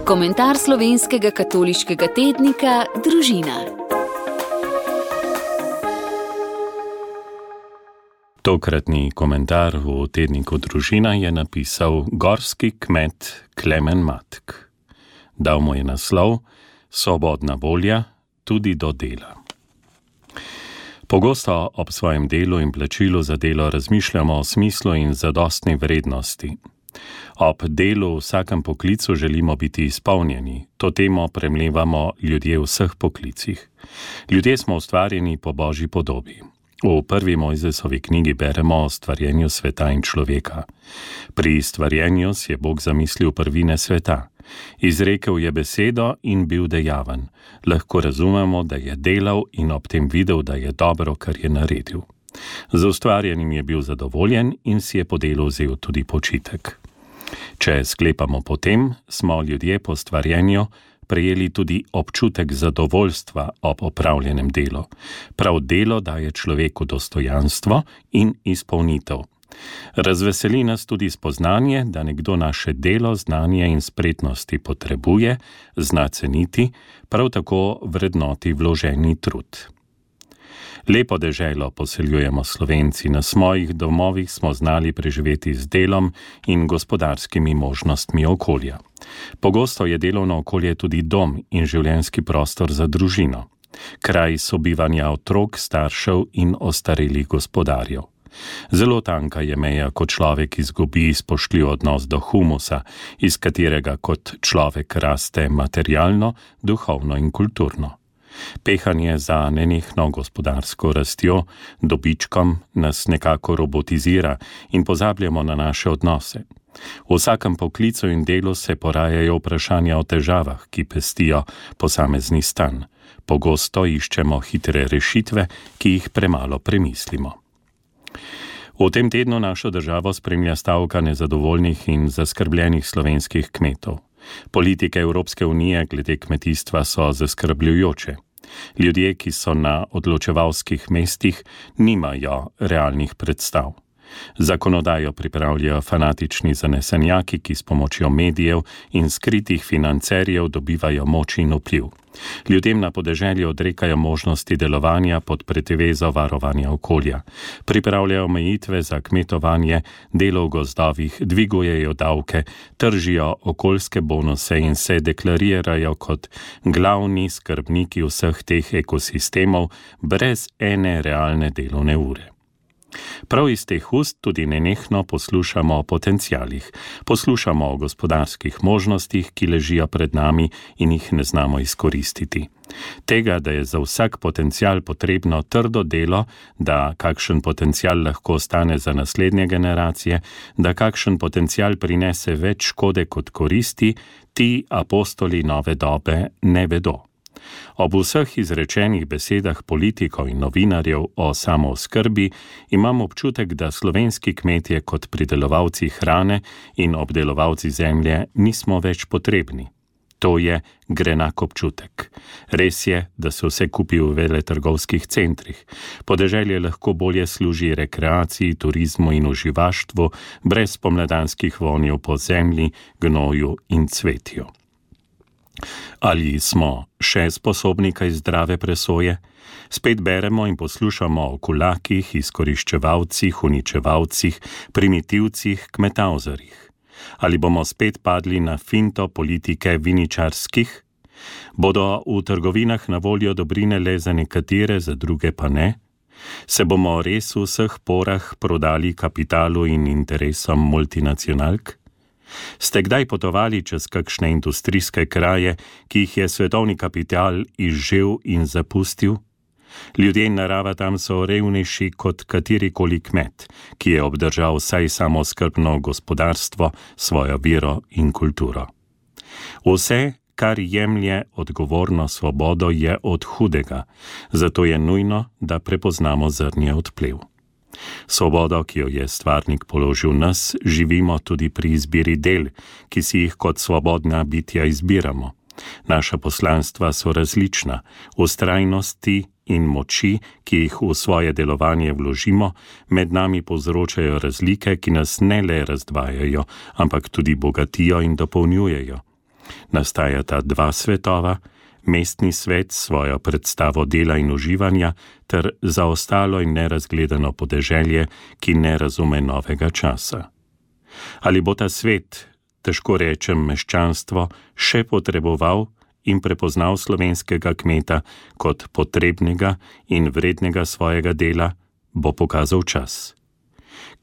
Komentar slovenskega katoliškega tednika Družina. Tokratni komentar v tedniku Družina je napisal gorski kmet Klemen Matk. Dal mu je naslov Svobodna volja tudi do dela. Pogosto ob svojem delu in plačilu za delo razmišljamo o smislu in zadostni vrednosti. Ob delu v vsakem poklicu želimo biti izpolnjeni. To temo premlevamo ljudje v vseh poklicih. Ljudje smo ustvarjeni po Božji podobi. V prvi Mojzesovi knjigi beremo o stvarjenju sveta in človeka. Pri stvarjenju si je Bog zamislil prvine sveta. Izrekel je besedo in bil dejaven. Lahko razumemo, da je delal in ob tem videl, da je dobro, kar je naredil. Z ustvarjenim je bil zadovoljen in si je po delu vzel tudi počitek. Če sklepamo po tem, smo ljudje po stvarjenju prejeli tudi občutek zadovoljstva ob opravljenem delu. Prav delo daje človeku dostojanstvo in izpolnitev. Razveseli nas tudi spoznanje, da nekdo naše delo, znanje in spretnosti potrebuje, zna ceniti, prav tako vrednoti vloženi trud. Lepo deželo poseljujemo Slovenci, na svojih domovih smo znali preživeti z delom in gospodarskimi možnostmi okolja. Pogosto je delovno okolje tudi dom in življenjski prostor za družino, kraj sobivanja otrok, staršev in ostarelih gospodarjev. Zelo tanka je meja, ko človek izgubi spoštljiv odnos do humusa, iz katerega kot človek raste materialno, duhovno in kulturno. Pehanje za nenehno gospodarsko rastjo, dobičkom nas nekako robotizira in pozabljamo na naše odnose. V vsakem poklicu in delu se porajajo vprašanja o težavah, ki pestijo posamezni stan. Pogosto iščemo hitre rešitve, ki jih premalo premislimo. V tem tednu našo državo spremlja stavka nezadovoljnih in zaskrbljenih slovenskih kmetov. Politike Evropske unije glede kmetijstva so zaskrbljujoče. Ljudje, ki so na odločevalskih mestih, nimajo realnih predstav. Zakonodajo pripravljajo fanatični zanesenjaki, ki s pomočjo medijev in skritih financerjev dobivajo moč in vpliv. Ljudem na podeželju odrekajo možnosti delovanja pod pretvezo varovanja okolja. Pripravljajo omejitve za kmetovanje, delo v gozdovih, dvigujejo davke, tržijo okoljske bonuse in se deklarirajo kot glavni skrbniki vseh teh ekosistemov brez ene realne delovne ure. Prav iz teh ust tudi nenehno poslušamo o potencialih, poslušamo o gospodarskih možnostih, ki ležijo pred nami in jih ne znamo izkoristiti. Tega, da je za vsak potencial potrebno trdo delo, da kakšen potencial lahko ostane za naslednje generacije, da kakšen potencial prinese več škode kot koristi, ti apostoli nove dobe ne vedo. Ob vseh izrečenih besedah politikov in novinarjev o samooskrbi imam občutek, da slovenski kmetje kot pridelovalci hrane in obdelovalci zemlje nismo več potrebni. To je grenak občutek. Res je, da se vse kupi v veletrgovskih centrih. Podeželje lahko bolje služi rekreaciji, turizmu in uživaštvu, brez pomladanskih vonjev po zemlji, gnoju in cvetju. Ali smo še sposobni kaj zdrave presoje? Spet beremo in poslušamo o kulakih, izkoriščevalcih, uničevalcih, primitivcih, kmetavzarjih. Ali bomo spet padli na finto politike viničarskih? Bodo v trgovinah na voljo dobrine le za nekatere, za druge pa ne? Se bomo res v vseh porah prodali kapitalu in interesom multinacionalk? Ste kdaj potovali čez kakšne industrijske kraje, ki jih je svetovni kapital izžel in zapustil? Ljudje in narava tam so revnejši kot katerikoli kmet, ki je obdržal vsaj samooskrbno gospodarstvo, svojo vero in kulturo. Vse, kar jemlje odgovorno svobodo, je od hudega, zato je nujno, da prepoznamo zrnje od plev. Svobodo, ki jo je stvarnik položil nas, živimo tudi pri izbiri del, ki si jih kot svobodna bitja izbiramo. Naša poslanstva so različna, vztrajnosti in moči, ki jih v svoje delovanje vložimo, med nami povzročajo razlike, ki nas ne le razdvajajo, ampak tudi bogatijo in dopolnjujejo. Nastajata dva svetova, mestni svet s svojo predstavo dela in uživanja ter zaostalo in nerazgledano podeželje, ki ne razume novega časa. Ali bo ta svet, težko rečem meščanstvo, še potreboval in prepoznal slovenskega kmeta kot potrebnega in vrednega svojega dela, bo pokazal čas.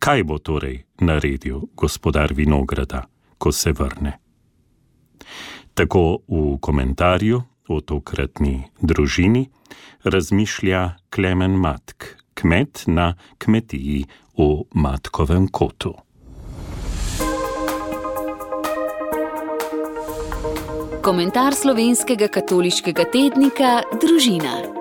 Kaj bo torej naredil gospodar vinograda, ko se vrne? Tako v komentarju o tokratni družini razmišlja Klemen Matk, kmet na kmetiji v Matkovem kotu. Komentar slovenskega katoliškega tednika Družina.